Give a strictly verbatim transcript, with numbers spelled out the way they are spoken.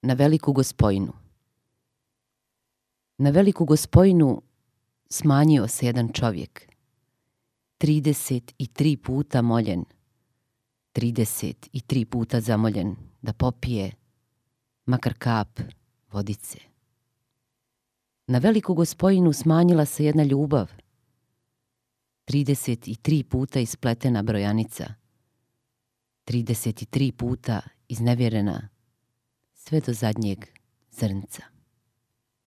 Na veliku gospojinu. Na veliku gospojinu smanjio se jedan čovjek. Trideset i tri puta moljen, trideset i tri puta zamoljen da popije makar kap vodice. Na veliku gospojinu smanjila se jedna ljubav. Trideset i tri puta ispletena brojanica. Trideset i tri puta iznevjerena sve do zadnjeg zrnca.